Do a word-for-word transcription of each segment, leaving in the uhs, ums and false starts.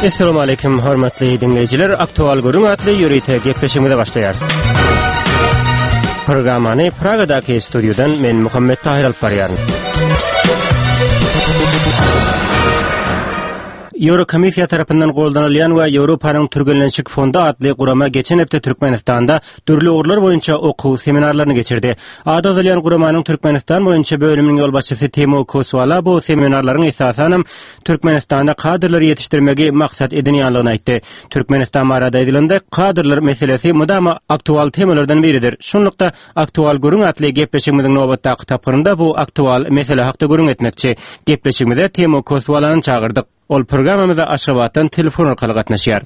Essalamu aleýkum hormatly diňleýjiler. Aktual gürrüň atly ýörite gepleşigimize başlaýarys. Programmany Pragadaky studiýadan men Muhammet Tahir alyp barýaryn. Ýewrokomissiýa tarapyndan goldanylýan we Ýewropanyň Türgenleşik fondy atly gurama geçen hepde Türkmenistanda dürli ugurlar boýunça okuw seminarlaryny geçirdi. Ady agzalýan guramanyň Türkmenistan boýunça bölüminiň ýolbaşçysy Timo Koswala bu seminarlaryň esasanam Türkmenistanda kadrlary ýetişdirmegi maksat edinýänligini aýtdy. Türkmenistan barada aýdylanda kadrlar meselesi mydama aktual temalardan biridir. Şunlukda aktual gürrüň atly gepleşigimiziň nobatdaky tapgyrynda bu aktual mesele hakda gürrüň etmekçi. Gepleşigimize Timo Koswalany çagyrdyk. Ol programmamyza Aşgabatdan telefon arkaly gatnaşýar.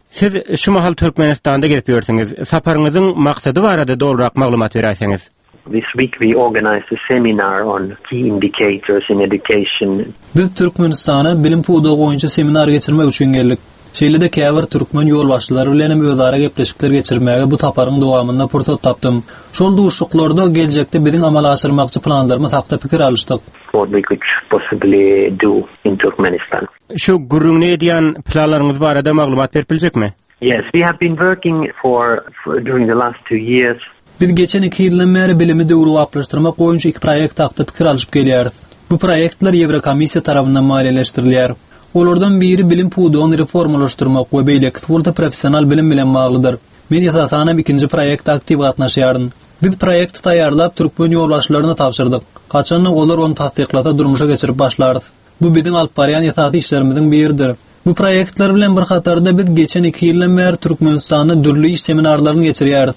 Siz şu mahal Türkmenistanda gezip ýörsüňiz. Saparyňyzyň maksady barada dogrurak maglumat beräýseňiz. This week we organized a seminar on key indicators in education. Biz Türkmenistana bilim pudagy boýunça seminar geçirmek üçin geldik. Şeýle-de käbir türkmen ýolbaşçylary bilen hem özara gepleşikler geçirmäge bu saparyň dowamynda pursat tapdym. Şol duşuşyklarda geljekde biziň amala aşyrmakçy planlarymyz hakda pikir alyşdyk. What we could possibly do in Turkmenistan. Şu gürrüňini edýän planlaryňyz barada maglumat berip biljekmi? Yes, we have been working for, for during the last two years. Biz geçen iki ýyldan bäri bilimi döwrebaplaşdyrmak boýunça iki proýekt hakda pikir alyşyp gelýäris. Bu proýektler Ýewrokomissiýa tarapyndan maliýeleşdirilýär. Olardan biri bilim pudagyny reformalaşdyrmak we beýlekisi bolsa professional bilim bilen baglydyr. Men esasanam ikinji proýekte aktiw gatnaşýaryn. Biz proýekti taýýarlap türkmen ýolbaşçylaryna tabşyrdyk. Haçanda olar ony tassyklasa durmuşa geçirip başlarys. Bu biziň alyp barýan esasy işlerimiziň biridir. Bu proýektler bilen bir hatarda biz geçen iki ýyldan bäri Türkmenistanda dürli iş seminarlaryny geçirýäris.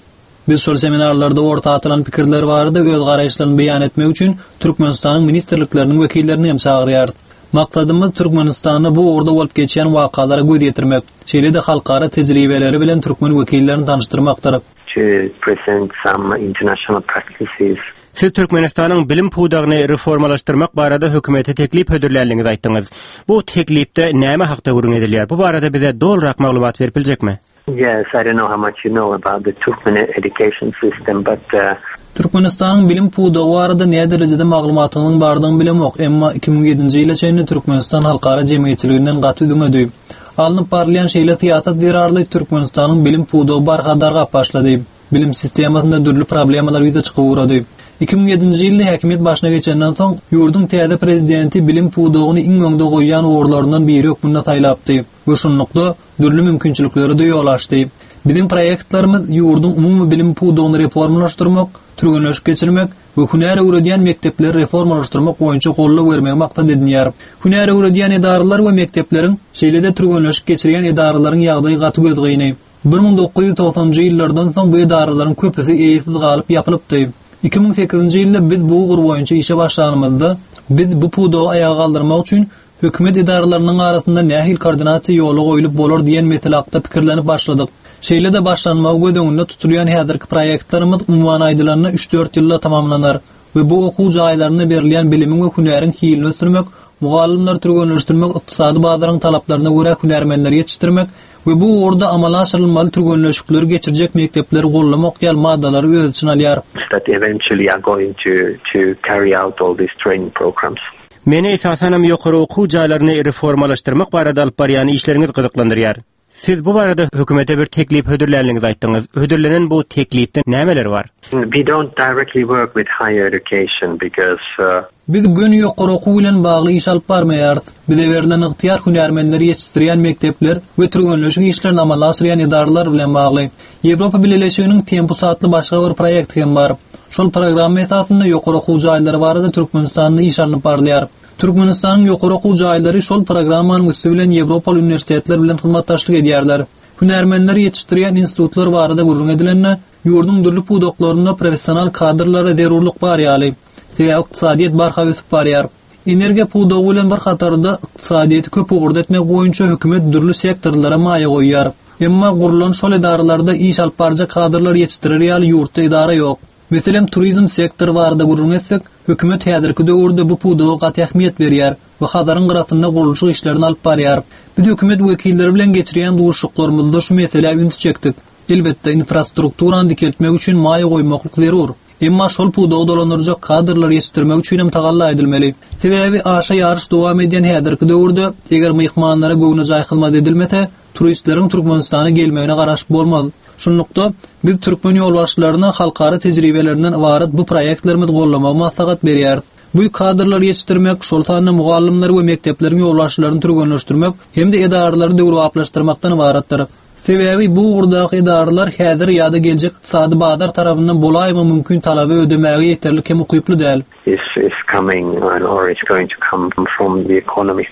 Biz şol seminarlarda orta atylan pikirler barada öz garaýyşlaryny beýan etmek üçin Türkmenistanyň ministrlikleriniň wekillerini hem çagyrýarys. Maksadymyz Türkmenistanda bu ugurda bolup geçýän wakalara göz ýetirmek, şeýle-de halkara tejribeleri bilen türkmen wekillerini tanyşdyrmakdyr. To present some international practices. Siz Türkmenistanyň bilim pudagyny reformalaşdyrmak barada hökümete teklip hödürlänligiňizi aýtdyňyz. Bu teklipde näme hakda gürrüň edilýär? Bu barada bize dogrurak maglumat berip biljekmi? Yes, I don't know how much you know about the Turkmen education system, but, uh, Türkmenistanyň bilim pudagy barada näme derejede maglumatynyň bardygyny bilemok, emma iki müň ýedinji ýyla çenli Türkmenistan halkara jemgyýetçiliginden gaty üzňedi. Alnyp barylýan şeýle syýasat zerarly Türkmenistanyň bilim pudagy barha dargap başlady. Bilim sistemasynda dürli problemalar ýüze çykyp ugrady. Iki müň ýedinji ýylda häkimiýet başyna geçenden soň ýurduň täze prezidenti bilim pudagyny iň öňde goýýan ugurlaryndan biri hökmünde saýlapdy we şunlukda dürli mümkinçilikleri de ýol açdy. Biziň proýektlerimiz ýurduň umumy bilim pudagyny reformalaşdyrmak, türgenleşik geçirmek we hünär öwredýän mekdepleri reformalaşdyrmak boýunça goldaw bermegi maksat edinýär. Hünär öwredýän edaralar we mekdepleriň, şeýle-de türgenleşik geçirýän edaralaryň ýagdaýy gaty gözgyny. Bir müň dokuz ýüz togsanjy ýyllardan soň bu edaralaryň köpüsi eýesiz galyp ýapylypdy. Iki müň sekizinji ýylda biz bu ugur boýunça işe başlanymyzda, biz bu pudagy ayaga galdyrmak üçin hökümet edaralarynyň arasynda nähili koordinasiýa ýola goýulyp bolar diýen mesele hakda pikirlenip başladyk. Şeýle-de başlanmagy göz öňünde tutulýan häzirki proýektlerimiz umuman aýdylanda üç-dört ýylda tamamlanar we bu okuw jaýlarynda berilýän bilimiň we hünäriň hilini ösdürmek, mugallymlary türgenleşdirmek, ykdysady bazaryň talaplaryna görä hünärmenleri ýetişdirmek we bu ugurda amala aşyrylmaly türgenleşikleri geçirjek mekdepleri gollamak ýaly maddalary öz içine alýar. That eventually are going to, to carry out all these training programs. Meni esasanam ýokary okuw jaýlaryny reformalaşdyrmak barada alyp barýan işleriňiz gyzyklandyrýar. Siz bu barada hökümete bir teklip hödürlänligiňizi aýtdyňyz. Hödürlenen bu teklipde nämeler bar? We don't directly work with higher education because, uh, Biz göni ýokary okuw bilen bagly iş alyp barmaýarys. Bize berlen ygtyýar hünärmenleri ýetişdirýän mekdepler we türgenleşik işlerini amala aşyrýan edaralar bilen bagly. Ýewropa Bileleşiginiň Tempus atly başga bir proýekti hem bar. Şol programma esasynda ýokary okuw jaýlary barada Türkmenistanda iş alnyp barylýar. Türkmenistanyň ýokary okuw jaýlary şol programmanyň üsti bilen Ýewropaly uniwersitetler bilen hyzmatdaşlyk edýärler. Hünärmenleri ýetişdirýän institutlar barada gürrüň edilende, ýurduň dürli pudaklarynda professional kadrlara zerurlyk bar ýaly. Sebäbi ykdysadyýet barha ösüp barýar. Energiýa pudagy bilen bir hatarda ykdysadyýeti köp ugurda etmek boýunça hökümet dürli sektorlara maýa goýýar. Emma gurulan şol edaralarda iş alyp barjak kadrlar ýetişdirer ýaly ýurtda edara ýok. Meselem, turizm sektory barada gürrüň etsek, hökümet häzirki döwürde bu pudaga gaty ähmiýet berýär we Hazaryň gyrasynda gurluşyk işlerini alyp barýar. Biz hökümet wekilleri bilen geçirýän duşuşyklarymyzda şu meselä üns çekdik. Elbetde, infrastrukturany dikeltmek üçin maýa goýmaklyk zerur. Emma şol pudagy dolandyrjak kadrlary ýetişdirmek üçin hem tagalla edilmeli. Sebäbi aşa ýaryş dowam edýän häzirki döwürde eger myhmanlara göwnejaý hyzmat edilmese, turistleriň Türkmenistana gelmegine garaşyp bolmaz. Şunlukda biz türkmen ýolbaşçylaryna halkara tejribelerinden ybarat bu proýektlerimizi gollamagy maslahat berýäris. Bu kadrlary ýetişdirmek, şol sanda mugallymlary we mekdepleriň ýolbaşçylaryny türgenleşdirmek hem-de edaralary döwrebaplaşdyrmakdan ybaratdyr. Sebäbi bu ugurdaky edaralar häzir ýa-da geljek ykdysady bazar tarapyndan bolaýma mümkin talaby ödemäge ýeterlik hem ukyply däl. Is is coming or it's going to come from the economy.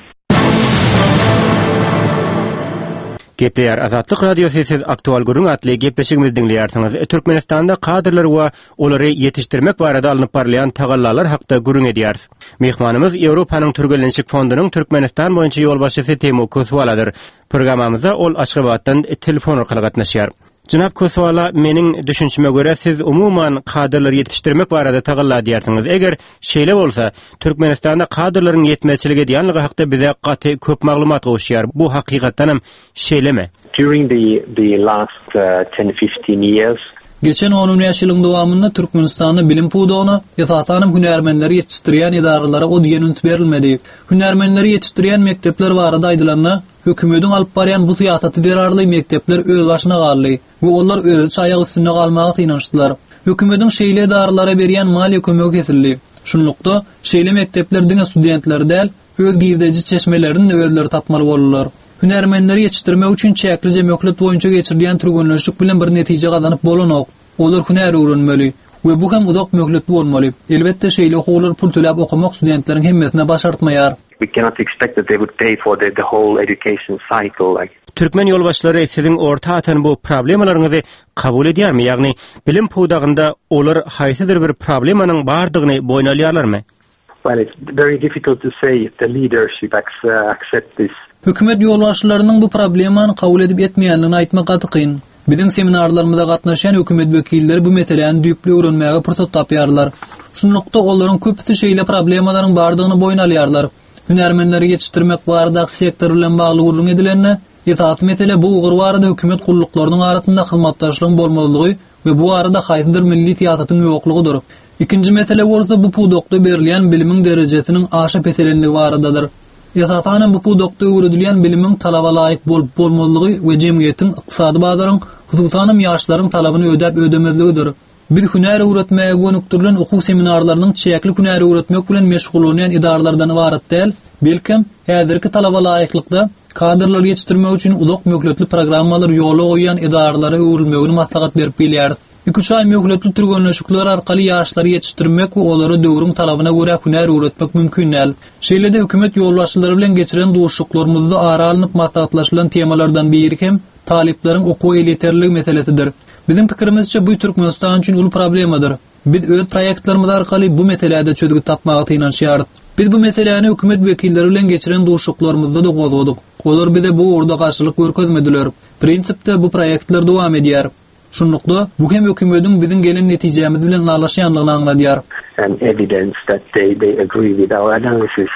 Gepleýär Azatlyk Radiosy siz aktual gürrüň atly gepleşigimizi diňleýärsiňiz. Türkmenistanda kadrlar we olary ýetişdirmek barada alnyp barylýan tagallalar hakda gürrüň edýäris. Myhmanymyz Ýewropanyň Türgenleşik fondunyň Türkmenistan boýunça ýolbaşçysy Timo Koswaladyr. Programmamyza ol Aşgabatdan telefon arkaly gatnaşýar. Jenap Koswala, meniň düşünşime görä siz umuman kadrlary ýetişdirmek barada tagalla edýärsiňiz. Eger şeýle bolsa, Türkmenistanda kadrlaryň ýetmezçilik edýänligi hakda bize gaty köp maglumat gowuşýar. Bu hakykatdan hem şeýlemi? During the the last uh, ten fifteen years Geçen on bäş ýylyň dowamynda Türkmenistanda bilim pudagyna, esasanam hünärmenleri ýetişdirýän edaralara o diýen üns berilmedi. Hünärmenleri ýetişdirýän mekdepler barada aýdylanda, hökümetiň alyp barýan bu syýasaty zerarly mekdepler öz başyna galdy we olar özüçe aýak üstünde galmaga synanyşdylar. Hökümetiň şeýle edaralara berýän maliýe kömegi kesildi. Şunlukda şeýle mekdepler diňe studentleri däl, öz girdeji çeşmelerini de özleri tapmaly boldular. Hünärmenleri ýetişdirmek üçin çäkli möhlet boýunça geçirilýän türgenleşik bilen bir netije gazanyp bolanok. Olar hünär öwrenmeli we bu hem uzak möhletli bolmaly. Elbetde şeýle okuwlar pul töläp okamak studentleriň hemmesine başartmaýar. We cannot expect that they would pay for the, the whole education cycle like. Türkmen ýolbaşçylary siziň orta atan bu problemalaryňyzy kabul edýärmi? Ýagny bilim pudagynda olar haýsydyr bir problemanyň bardygyny boýun alýarlarmy? Well, it's very difficult to say if the leadership accept this. Hökümet ýolbaşçylarynyň bu problemany kabul edip etmeýändigini aýtmak gaty kyn. Biziň seminarlarymyza gatnaşýan hökümet wekilleri bu meseläni düýpli öwrenmäge pursat tapýarlar. Şunlukda olaryň köpüsi şeýle problemalaryň bardygyny boýun alýarlar. Hünärmenleri ýetişdirmek baradaky sektor bilen bagly gürrüň edilende, esasy mesele bu ugur barada hökümet gulluklarynyň arasynda hyzmatdaşlygyň bolmazlygy we bu arada haýsydyr milli syýasatyň ýoklugydyr. Ikinji mesele bolsa bu pudakda berilýän bilimiň derejesiniň aşa peselenligi baradadyr. Esasanam bu pudakda öwredilýän bilimiň talaba laýyk bolup bolmazlygy we jemgyýetiň, ykdysady bazaryň, hususanam ýaşlaryň talabyny ödäp ödemezligidir. Biz hünär öwretmäge gönükdirilen okuw seminarlarynyň çäkli hünär öwretmek bilen meşgullanýan edaralardan ybarat däl, belkem häzirki talaba laýyklykda kadrlary ýetişdirmek üçin uzak möhletli programmalar ýola goýýan edaralara öwrülmegini maslahat berip bilýäris. Iki aý möhletli türgenleşikler arkaly ýaşlary ýetişdirmek we olara döwrüň talabyna görä hünär öwretmek mümkin däl. Şeýle-de hökümet ýolbaşçylary bilen geçiren duşuşyklarymyzda ara alnyp maslahatlaşylan temalardan biri hem talyplaryň okuw elýeterliligi meselesidir. Biziň pikirimizçe bu Türkmenistan üçin uly problemadyr. Biz öz proýektlerimiz arkaly bu meselede çözgüt tapmaga synanyşýarys. Biz bu meseläni hökümet wekilleri bilen geçiren duşuşyklarymyzda da gozgadyk. Olar bize bu ugurda garşylyk görkezmediler. Prinsipde bu proýektler dowam edýär. Şunlukda bu hem hökümetiň biziň gelen netijemiz bilen ylalaşýanlygyny aňladýar. And evidence that they they agree with our analysis.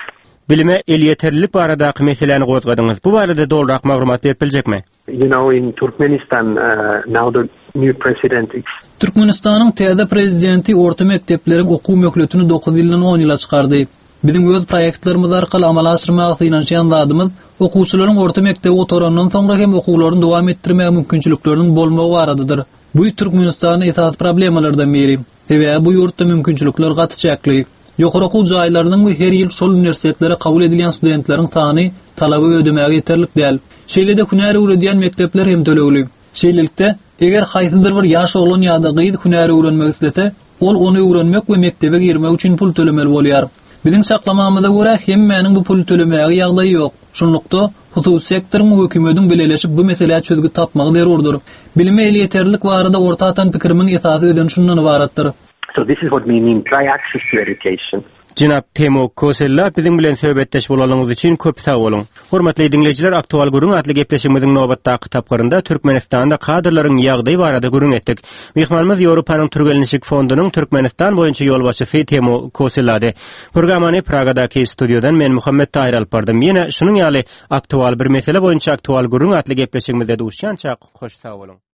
Bilime elýeterlilik baradaky meseläni gozgadyňyz. Bu barada dolrak maglumat berip biljekmi? You know, in Turkmenistan uh, now the new president is Türkmenistanyň täze prezidenti orta mekdepleriň okuw möhletini dokuz ýyldan on ýyla çykardy. Biziň öz proýektlerimiz arkaly amala aşyrmaga synanyşýan zadymyz okuwçylaryň orta mekdebi gutarandan soňra hem okuwlaryny dowam etdirmäge mümkinçilikleriniň bolmagy baradadyr. Bu Türkmenistanyň esasy problemalardan biri. Sebäbi bu ýurtda mümkinçilikler gaty çäkli. Ýokary okuw jaýlarynyň we her ýyl şol uniwersitetlere kabul edilýän studentleriň sany talaby ödemäge ýeterlik däl. Şeýle-de hünär öwredýän mekdepler hem tölegli. Şeýlelikde, eger haýsydyr bir ýaş oglan ýa-da gyz hünär öwrenmek islese, ol ony öwrenmek we mekdebe girmek üçin pul tölemeli bolýar. Biziň çaklamamyza görä hemmäniň bu puly tölemäge ýagdaýy ýok. Şunlukda hususy sektoryň we hökümetiň bileleşip bu meselä çözgüt tapmagy zerurdyr. Bilime elýeterlilik barada orta atan pikirimiň esasy özeni şundan ybaratdyr. So this is what we mean by access to education. Jenap Timo Kosella biziň bilen söhbetdeş bolanyňyz üçin köp sag boluň. Hormatly diňleýjiler, aktual gürrüň atly gepleşigimiziň nobatdaky tapgyrynda Türkmenistanda kadrlaryň ýagdaýy barada gürrüň etdik. Myhmanymyz Ýewropanyň Türgenleşik fondunyň Türkmenistan boýunça ýolbaşçysy Timo Kosellady. Programmany Pragadaky studiýadan men Muhammet Tahir alyp bardym. Ýene şunuň ýaly aktual bir mesele boýunça aktual gürrüň atly gepleşigimizde duşýança hoş sag boluň.